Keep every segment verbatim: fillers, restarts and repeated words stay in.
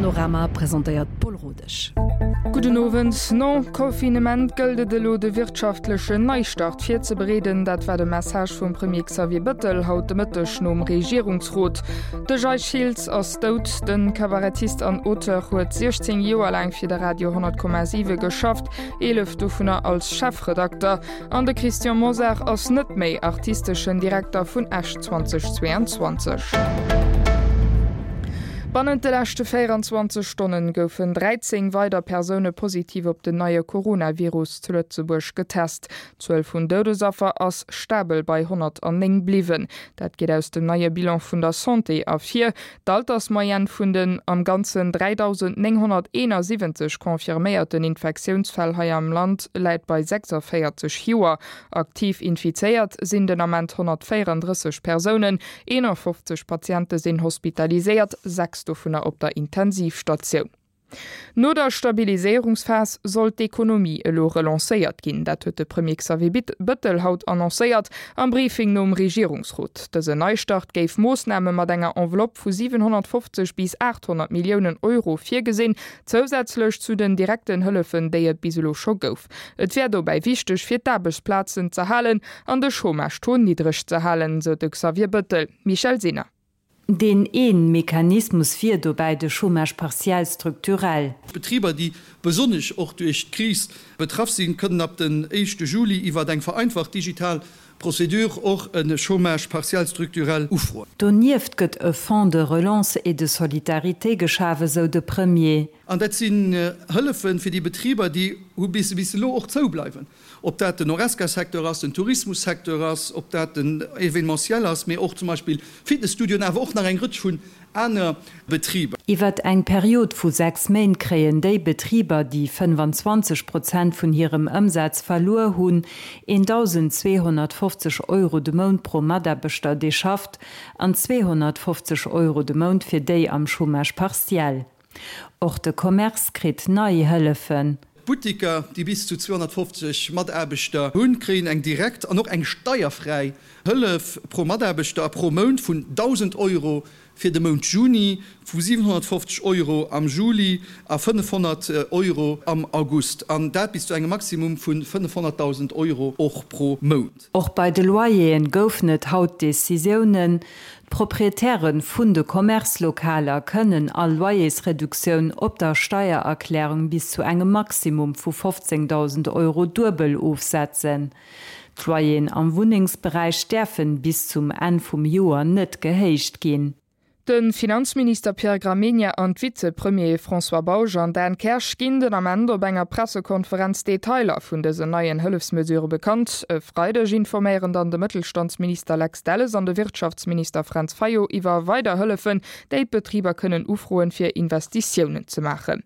Panorama presentéiert d'Paul Rodesch. Gudden Owend. Nom Confinement gëllt et elo de wirtschaftlechen Neistart virzebereeden. Dat war de Message vum Premier Xavier Bëttel haut de Mëtteg nom Regierungsrot. De Jay Schiltz ass dout. De Kabarettist an Auteur huet siechzéng Joer laang fir de Radio honnert Komma siwe geschafft, eelef dovunner als Chefredakter. An de Christian Mosar ass net méi artisteschen Direkter vun Esch zweitausendzweiundzwanzeg. Bannent de leschte véieranzwanzeg Stonne goufen dräizéng weider Persoune positiv op den neie Coronavirus zu Lëtzebuerg getest. D'Zuel vun Doudesaffer ass stabel bei honnertnéng bliwwen. Dat geet aus dem neie Bilan vun der Santé ervir. D'Altersmoyenne vun den am Ganzen dräidausendnénghonnerteenasiwwenzeg confirméierten Infektiounsfäll hei am Land läit bei sechsavéierzeg Joer. Aktiv infizéiert sinn den Ament honnertvéierandrësseg Persounen, eenafofzeg Patiente sinn hospitaliséiert, sechs dovunner op der Intensivstatioun. No der Stabiliséierungsphas soll d'Ekonomie elo relancéiert ginn. Dat huet de Premier Xavier Bëttel haut annoncéiert am Briefing nom Regierungsrot. Dësen Neistart géif Moossname mat enger Enveloppe vu siwenhonnertfofzeg bis aathonnert Milliounen Euro virgesinn, zousätzlech zu den direkten Hëllefen, déi et bis elo scho gouf. Et wär dobäi wichteg, fir d'Aarbechtsplazen z'erhalen an de Chômage-Taux niddreg ze halen, sou de Xavier Bëttel. Michèle Sinner. Deen een Mechanismus wier dobäi de Chômage partiel structurel. D'Betriber, déi besonnesch och duerch d'Kris betraff sinn, kënnen ab den éischte Juli iwwert eng vereinfacht digital Procédure och e Chômage partiel structurel ufroen. Donieft gëtt e Fonds de relance et de solidarité geschaf, esou de Premier. An dat sinn Hëllefe fir déi Betriber, déi hu bis elo och zoubleiwen, ob dat den Horesca-Secteur ass, den Tourismus-Secteur ass, ob dat den Événementiel ass, mee och zum Beispill Fitnesstudioen, awer och nach eng Rëtsch vun aner Betriber. Iwwert eng Period vu sechs Méint kréien déi Betriber, déi fënnfanzwanzeg Prozent vun hirem Ëmsaz verluer hunn, eentausendzweehonnertfofzeg Euro de Mount pro Mataarbechter, dee schafft, an zweehonnertfofzeg Euro de Mount fir déi am Chômage partiel. Och de Commerce kritt nei Hëllefen. D'Buttiker, déi bis zu zweehonnertfofzeg Mataarbechter hunn, kréien eng direkt an och eng steierfräi Hëllef pro Mataarbechter a pro Mount vun dausend Euro fir de Mount Juni, vu siwenhonnertfofzeg Euro am Juli a fënnefhonnert Euro am August, an dat bis zu engem Maximum vu fënnefhonnertdausend Euro och pro Mount. Och bei de Loyeren goufen et haut Decisiounen. D'Proprietäre vun de Commerce-Lokaler kënnen all Loyersreduktioun op der Steiererklärung bis zu engem Maximum vu fofzéngdausend Euro duebel ofsetzen. D'Loyeren am Wunnengsberäich däerfen bis zum Enn vum Joer net gehéicht ginn. De Finanzminister Pierre Gramegna an d'Vizepremiere François Bausch an Dan Kersch ginn den Ament op enger Pressekonferenz Detailer vun dësen neien Hëllefsmesure bekannt. E Freideg informéieren dann de Mëttelstandsminister Lex Delles an de Wirtschaftsminister Frantz Fayot iwwer weider Hëllefen, déi d'Betriber kënnen ufroen, fir Investitiounen ze maachen.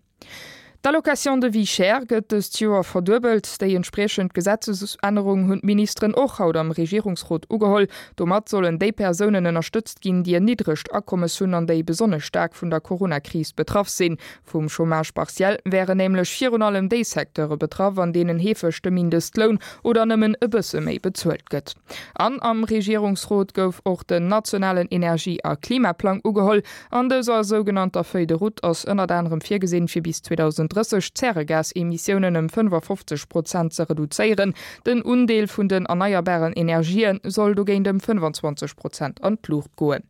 D'Allocation de vie chère gëtt dëst Joer verduebelt. Déi entspriechend Gesetzesännerung hunn d'Ministeren och haut am Regierungsrot ugeholl. Domat sollen déi Persounen ënnerstëtzt ginn, déi en niddregt Akommes hunn an déi besonnesch staark vun der Coronakris betraff sinn. Vum Chômage partiel wären nämlech virun allem déi Secteure betraff, an deenen heefeg de Mindestloun oder nëmmen e bësse méi bezuelt gëtt. An am Regierungsrot gouf och den nationalen Energie a Klimaplang ugeholl. An dëser sougenannter Feuille de route ass ënnert anerem virgesinn, fir bis zweetdausend drësseg d'Zäregasemissiounen ëm fënnefafofzeg Prozent ze reduzéieren. Den Undeel vun den erneierbaren Energië soll dogéint ëm fënnefanzwanzeg Prozent an d'Luucht goen.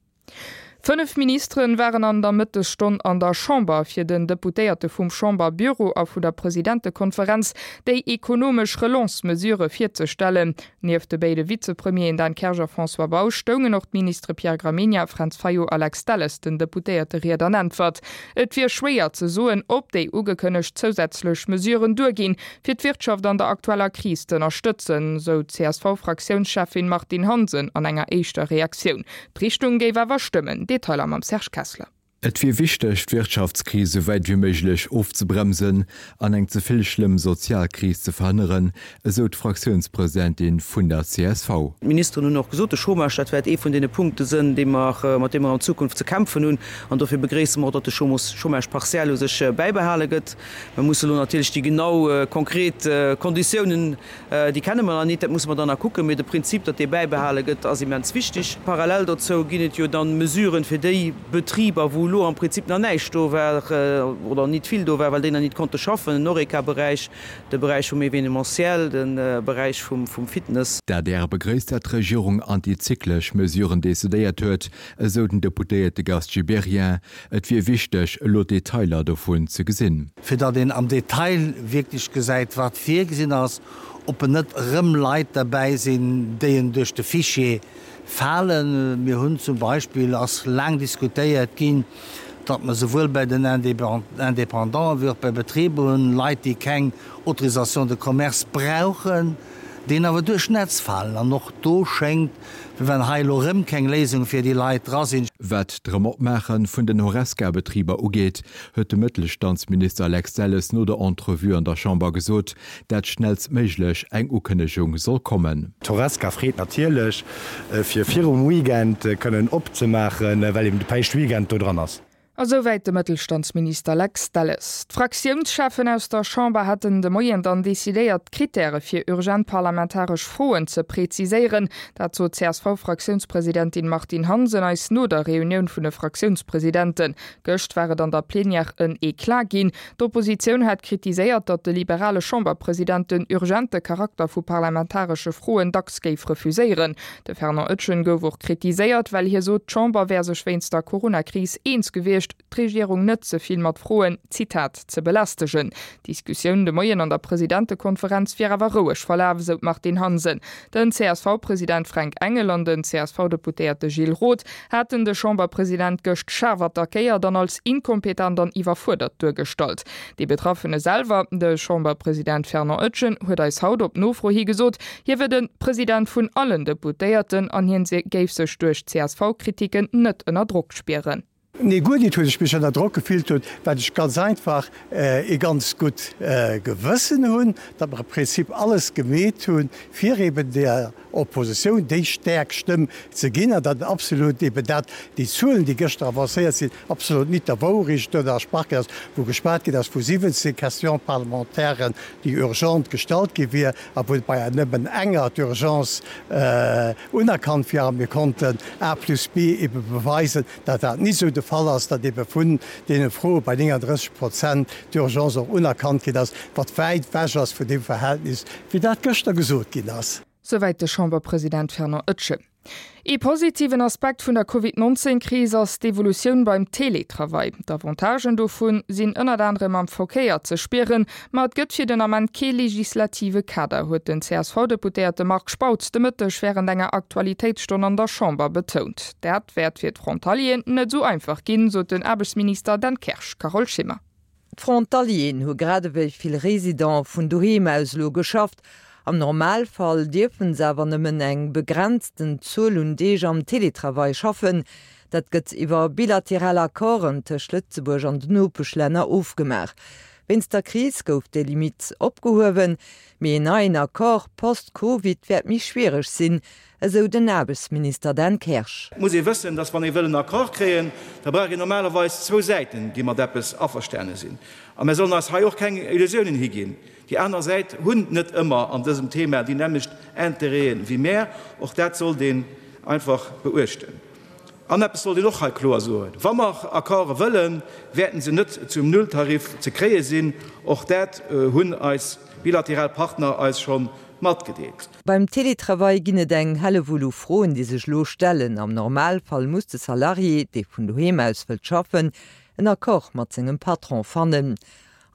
Fënnef Ministere waren an der Mëttesstonn an der Chamber, fir den Deputéierte vum Chamberbüro a vun der Presidentekonferenz déi ekonomesch Relance-Mesurë virzestellen. Nieft de béide Vizepremieren Dan Kersch a François Bausch stoungen och d'Ministere Pierre Gramegna, Frantz Fayot a Lex Delles den Deputéierte Ried an Äntwert. Et wier schwéier ze soen, ob déi ugekënnegt zousätzlech Mesuren duerginn, fir d'Wirtschaft an der aktueller Kris z'ënnerstëtzen, sou d'CSV-Fraktiounscheffin Martine Hansen an enger éischter Reaktioun. D'Richtung géif awer stëmmen. Detailer mam Serge Kessler. Et wier wichteg, d'Wirtschaftskris esou wäit wéi méiglech ofzebremsen an eng ze vill schlëmm Sozialkris ze verhënneren, esou d'Fraktiounspresidentin vun der C S V. D'Ministeren hunn och gesot, de Chômage, dat wäert ee vun deene Punkte sënn, dee mer, mat deem mer an Zukunft ze kämpfen hunn. An dofir begréisse mer och, datt de Chômage partiel u sech bäibehale gëtt. Mer musse elo natierlech déi genau konkret Konditiounen, déi kenne mer nach nit, dat musse mer dann nach kucken. Mee de Prinzip, datt dee bäibehale gëtt, ass immens wichteg. Parallel dozou ginn et jo dann Mesuren fir déi Betriber, wou elo am Prinzip nach näischt do war oder nit vill do war, well déi nach nit konnte schaffen, den Horeca-Beräich, de Beräich vum Événementiel, de Beräich vum Fitness. D'adr begréisst, dat d'Regierung antizyklesch Mesuren decidéiert huet, esou den Deputéierte Gast Gibéryen. Et wier wichteg, elo d'Detailer dovun ze gesinn. Fir datt een am Detail wierklech gesäit, wat virgesinn ass, ob en net erëm Leit derbäi sinn, déi en duerch de Fichier falen. Mir hunn zum Beispill, ass laang diskutéiert ginn, datt mer souwuel bei den Indépendanten wéi och bei Betriber hunn, Leit, déi keng Autorisation de commerce brauchen, déi awer duerch d'Netz falen. An och do schéngt, wéi wann hei elo erëm keng Léisung fir déi Leit dra sinn. Wat d'Erëm-Opmaache vun den Horesca-Betriber ugeet, huet de Mëttelstandsminister Lex Delles no der Entrevue an der Chamber gesot, dat schnellstméiglech eng Ukënnegung soll kommen. D'Horesca freet natierlech, fir virum Weekend kënnen opzemaachen, well eben de Päischtweekend do dran ass. A souwäit de Mëttelstandsminister Lex Delles. D'Fraktiounscheffen aus der Chamber hätten de Moien dann decidéiert, d'Krittäre fir urgent parlamentaresch Froen ze preziséieren. Dat sot d'CSV-Fraktiounspresidentin Martine Hansen eis no der Reunioun vun de Fraktiounspresidenten. Gëscht war et an der Plenière en Eclat ginn. D'Oppositioun hat kritiséiert, datt de liberale Chamberpresident den urgente Charakter vu parlamentaresche Froen dacks géif refuséieren. De Fernand Etgen gouf och kritiséiert, well hie sot, d'Chamber wär sech wéinst der Coronakris eens gewiescht, d'Regierung net ze vill mat Froen, Zitat, ze belästegen. D'Diskussioun de Moien an der Presidentekonferenz wier awer roueg verlaf, esou d'Martine Hansen. Den CSV-President Fränk Engel an den CSV-Deputéierte Gilles Roth haten de Chamberpresident gëscht schaarf attackéiert an als inkompetent an iwwerfuerdert duergestallt. Dee Betraffene selwer, de Chamberpresident Fernand Etgen, huet eis haut op Nofro hi gesot, hie wier de President vun allen Deputéierten an hien géif sech duerch d'CSV-Kritiken net ënner Drock spieren. Nee, guer nit, wou ech mech ënner Drock gefillt hunn, well ech ganz einfach ee ganz gutt Gewëssen hunn, datt mer am Prinzip alles gemeet hunn, fir eben der Oppositioun déi stäerk Stëmm ze ginn an datt absolut eben dat, déi Zuelen, déi gëschter avancéiert sinn, absolut nit der Wourecht entsprach ass, wou geschwat ginn ass vu siwwenzéng Questions parlementairen, déi urgent gestallt gi wier a wou bei nëmmen enger d'Urgence unerkannt wier a mir konnten A plus B ebe beweisen, datt dat nit esou de Fall ass, datt ebe vun deene Froe bei nénganddrësseg Prozent d'Urgence och unerkannt ginn ass, wat wäit ewech ass vun deem Verhältnis, wéi dat gëschter gesot ginn ass. Souwäit de Chamberpresident Fernand Etgen. Ee positiven Aspekt vun der Covid nonzéng Kris ass d'Evolutioun beim Teletravail. D'Avantagen dovun sinn ënnert anerem am Verkéier ze spieren, ma et gëtt fir den Ament kee legislative Kader, huet den C S V-Deputéierte Marc Spautz de Mëtteg wärend enger Aktualitéitsstonn an der Chamber betount. Dat wäert fir d'Frontalieren net esou einfach ginn, sot den Aarbechtsminister Dan Kersch. Carole Schimmer. D'Frontalieren hu grad ewéi vill Residente vun doheem aus elo geschafft. Am Normalfall dierfe se awer nëmmen eng begrenzten Zuel un Deeg am Teletravail schaffen. Dat gëtt iwwer bilateral Accorden tëscht Lëtzebuerg an den Nopeschlänner ofgemaach. Wéinst der Kris gouf déi Limitt opgehuewen, mee en neien Accord post-Covid wäert méi schwiereg sinn, esou den Aarbechtsminister Dan Kersch. Et muss ee wëssen, dass wann ee wëll en Accord kréien, da brauch een normalerweis zwou Säiten, déi mat eppes averstane sinn. A mir sollen eis hei och keng Illusiounen higinn. Déi aner Säit hunn net ëmmer an dësem Thema déi nämmlecht Interêten wéi mär. Och dat sollt een einfach beuechten. An eppes sollt een och hei kloer soen, Wa mer Accorde wëllen, wäerten se net zum Nulltarif ze kréie sinn. Och dat hunn eis bilateral Partner eis scho matgedeelt. Beim Teletravail ginn et eng Hellewull u Froen, déi sech elo stellen. Am Normalfall muss de Salarié, dee vun doheem aus wëllt schaffen, en Accord mat sengem Patron fannen.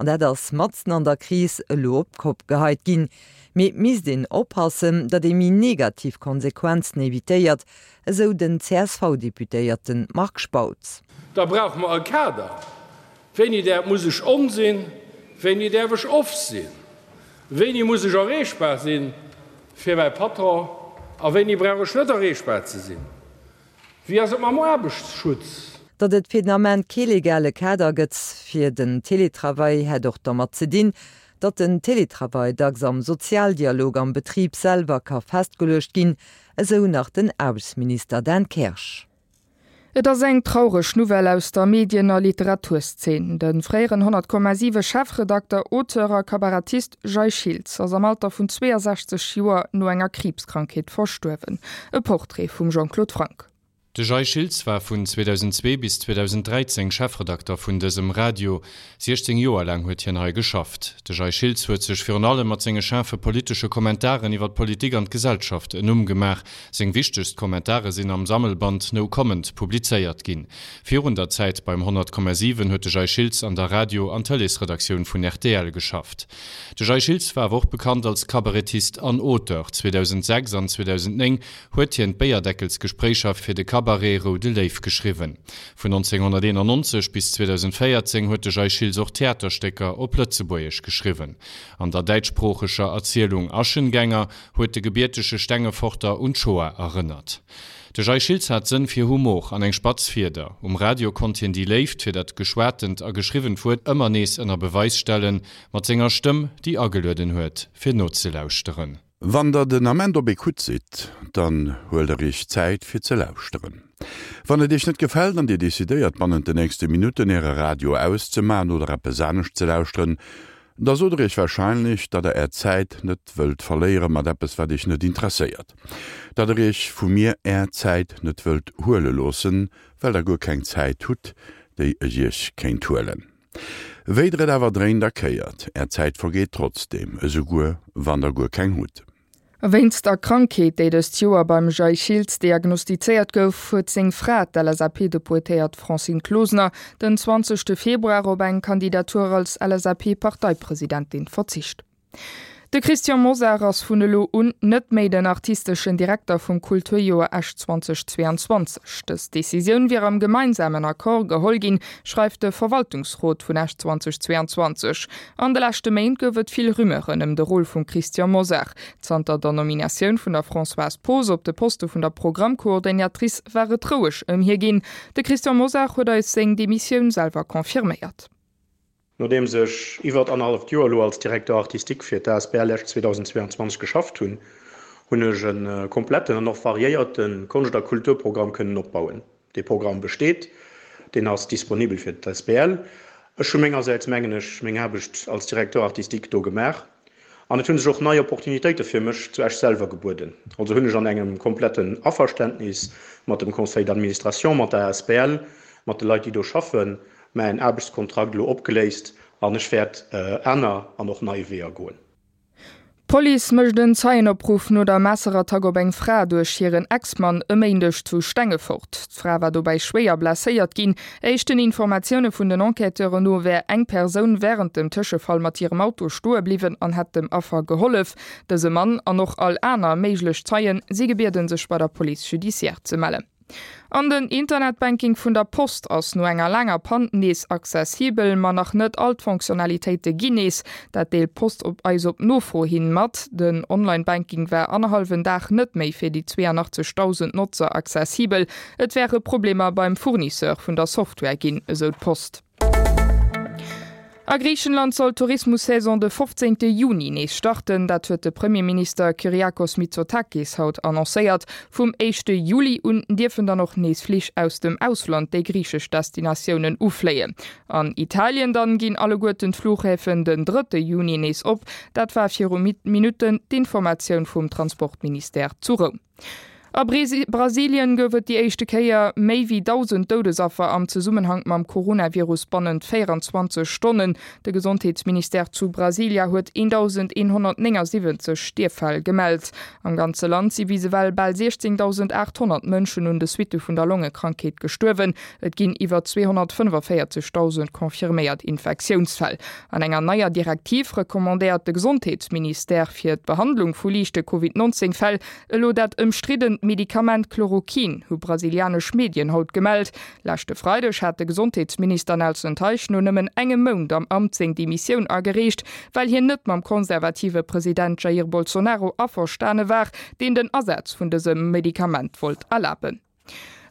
An dat ass matzen an der Kris elo op d'Kopp geheit ginn. Mee et misst een oppassen, datt ee méi negativ Konsequenzen evitéiert, esou den C S V-Deputéierte Marc Spautz. Da brauche mer e Kader. Wéini däerf, muss ech on sinn? Wéini däerf ech off sinn? Wéini muss ech erreechbar sinn fir mäi Patron a wéini brauch ech net erreechbar ze sinn? Wéi ass et mam Aarbechtsschutz? Datt et fir den Ament kee legale Kader gëtt fir den Teletravail, hätt och dermat ze dinn, datt den Teletravail dacks am Sozialdialog am Betrib selwer ka festgeluecht ginn, esou nach den Aarbechtsminister Dan Kersch. Et ass eng traureg Nouvelle aus der Medien a Literaturszeen. De fréieren honnert Komma siwe Chefredakter, Auteur a Kabarettist Jay Schiltz ass am Alter vun zweeënsechzeg Joer no enger Kriibskrankheet verstuerwen. E Portrait vum Jean-Claude Franck. De Jay Schiltz war vun zweedausendzwee bis zweedausenddräizéng Chefredakter vun dësem Radio. siechzéng Joer laang huet hien hei geschafft. De Jay Schiltz huet sech virun allem mat senge schaarfe politesche Kommentaren iwwer d'Politik an d'Gesellschaft en Numm gemaach. Seng wichtegst Kommentare sinn am Sammelband No Comment publizéiert ginn. Virun der Zäit beim honnert Komma siwen huet de Jay Schiltz an der Radio an Tëleesredaktioun vun rtl geschafft. De Jay Schiltz war awer och bekannt als Kabarettist an Auteur. zweedausendsechs an zweedausendnéng huet hien d'Béierdeckelsgespréicher fir de Cabaret Roude Léiw geschriwwen. Vun nonzénghonnerteenannonzeg bis zweedausendvéierzéng huet de Jay Schiltz och Theaterstécker op Lëtzebuergesch geschriwwen. An der däitschsproocheger Erzielung Aschengänger huet de gebiertege Stengeforter un d'Shoah erënnert. De Jay Schiltz hat Sënn fir Humor an eng spatz Fieder. Um Radio konnt hien déi Léift fir dat geschwatent a geschriwwent Wuert ëmmer nees ënner Beweis stellen, mat senger Stëmm, déi agelueden huet, fir nozelauschteren. Wann der den Ament op Ecoute sidd, dann huelt der iech Zäit fir ze lauschteren. Wann et iech net gefält an dir decidéiert bannent den nächste Minutten äre Radio auszemaachen oder eppes anescht ze lauschteren, da sot der iech warscheinlech, datt der är Zäit net wëllt verléiere mat eppes wat iech net interesséiert. Datt der iech vu mir är Zäit net wëllt huele loossen, well der guer keng Zäit hutt, déi ech iech kéint huelen. Wéi der et awer dréint a kéiert, är Zäit vergeet trotzdeem, esouguer wann der guer keng hutt. Wéinst der Krankheet, déi dëst Joer beim Jay Schiltz diagnostizéiert gouf, huet seng Fra, d'L S A P-Deputéiert Francine Closener, den zwanzegste Februar op eng Kandidatur als L S A P-Parteipresidentin verzicht. De Christian Mosar ass vun elo un net méi den artisteschen Direkter vum Kulturjoer Esch zweedausendzweianzwanzeg. Dës Decisioun wier am gemeinsamen Accord geholl ginn, schreift de Verwaltungsrot vun Esch zweedausendzweianzwanzeg. An de leschte Méint gouf et vill Rumeuren ëm de Rôle vum Christian Mosar. Zanter der Nominatioun vun der Françoise Poos op de Poste vun der Programmcoordinatrice war et roueg ëm hie ginn. De Christian Mosar huet eis seng Demissioun selwer confirméiert. Nodeems ech iwwert annerhalleft Joer elo als Directeur artistique fir d'A S B L Esch zweedausendzweianzwanzeg geschafft hunn, hunn ech e kompletten an och variéierte Konscht a Kulturprogramm kënnen opbauen. Dee Programm besteet, deen ass disponibel fir d'A S B L. Ech hu mengersäits, mengen ech, meng Aarbecht als Directeur artistique do gemaach an et hu sech och nei Opportunitéite fir mech zu Esch selwer gebueden. Also hunn ech an engem kompletten Averständnis mat dem Conseil d'administration, mat der A S B L, mat de Leit, déi do schaffen, mäin Aarbechtskontrakt elo opgeléist an ech wäert aner an och nei Weeër goen. D'Police mécht en Zeienopruff no der Messerattack op eng Fra duerch hiren Ex-Mann e Méindeg zu Stengefort. D'Fra war dobäi schwéier blesséiert ginn. Éischten Informatioune vun den Enquêteuren no wär eng Persoun wärend dem Tëschefall mat hirem Auto stoe bliwwen an hätt dem Affer gehollef. Dëse Mann an och all aner méiglech Zeien si gebieden, sech bei der Police judiciaire ze mellen. An den Internetbanking vun der Post ass no enger laanger Pann nees accessibel, ma nach net all d'Fonctionnalitéite ginn nees. Dat deelt d'Post op eis op Nofro hin mat. Den Online-Banking war annerhallwen Dag net méi fir déi zweeanachtzegdausend Notzer accessibel. Et wäre Problemer beim Fournisseur vun der Software ginn, esou d'Post. A Griichenland soll d'Tourismus-Saison de fofzéngte Juni nees starten. Dat huet de Premierminister Kyriakos Mitsotakis haut annoncéiert. Vum éischte Juli un dierfen dann och nees Flich aus dem Ausland déi griichesch Destinatiounen ufléien. An Italien dann ginn alleguerten d'Fluchhäfen den drëtte Juni nees op. Dat war viru Minutten d'Informatioun vum Transportministère zu Roum. A Brasilien gouf et déi éischte Kéier méi wéi dausend Doudesaffer am Zesummenhank mam Coronavirus bannent véierenzwanzeg Stonnen. De Gesondheetsministère zu Brasilia huet eendausendeenhonnertnéngasiwwenzeg Stierffäll gemellt. Am ganze Land si bis ewell bal siechzéngdausendaathonnert Mënschen un de Suitte vun der Longekrankheet gestuerwen. Et ginn iwwer zweehonnertfënnefavéierzegdausend confirméiert Infektiounsfäll. An enger neier Direktiv recommandéiert de Gesondheetsministère fir d'Behandlung vu liichte Covid nonzéng Fäll elo dat ëmstriddent Medikament Chloroquin, hu brasilianesch Medien haut gemellt. Leschte Freideg hat de Gesondheetsminister Nelson Teich no nëmmen engem Mount am Amt seng Demissioun agereecht, well hien net mam konservative President Jair Bolsonaro averstane war, deen den Asaz vun dësem Medikament wollt erlaben.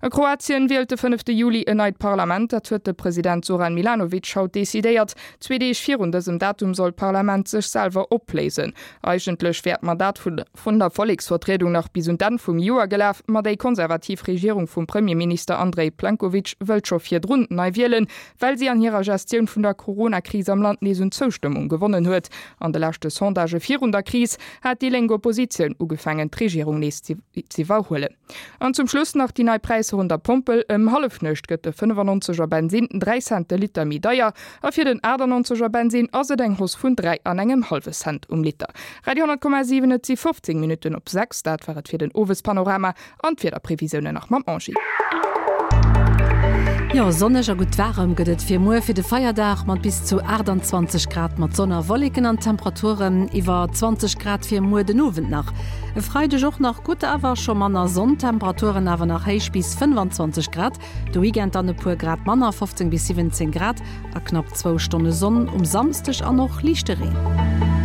A Kroatien wielt de fënnefte Juli en neit Parlament, dat huet de President Zoran Milanovic haut decidéiert. Zwee Deeg virun dësem Datum soll d'Parlament sech selwer opléisen. Eigentlech wär d'Mandat vun der Volleksvertriedung nach bis un d'Enn vum Joer gelaf, ma déi konservativ Regierung vum Premierminister Andrej Plenkovic wëllt scho virdrun nei wielen, well si an hirer Gestioun vun der Corona-Kris am Land nees un Zoustëmmung gewonnen huet. An de leschte Sondagë virun der Kris hat déi lénk Oppositioun ugefaangen d'Regierung nees z'iwwerhuelen. An zum Schluss nach déi nei Präisser Präisser un der Pompel, Ëm Hallefnuecht gëtt de fënnefannonzeger Bensin dräi Cent de Liter méi deier a fir den achtannonzeger Bensin ass et eng Hausse vun dräi an engem hallwe Cent um Liter. Radio honnert Komma siwen Et si fofzéng Minutten op sechs, dat war et fir den Owespanorama an d'Wiederprevisiounen nach mam Angie. Jo, sonneg a gutt waarem gëtt et fir muer fir de Feierdag mat bis zu achttanzwanzeg Grad mat Sonn a Wolleken an Temperaturen iwwer zwanzeg Grad fir muer den Owend nach. E Freideg och nach gutt, awer scho manner Sonn, Temperaturen awer nach héich bis fënnfanzwanzeg Grad. De Weekend dann e puer Grad manner, fofzéng bis siwwenzéng Grad a knapp zwou Stonne Sonn um Samsdeg an och liichte Reen.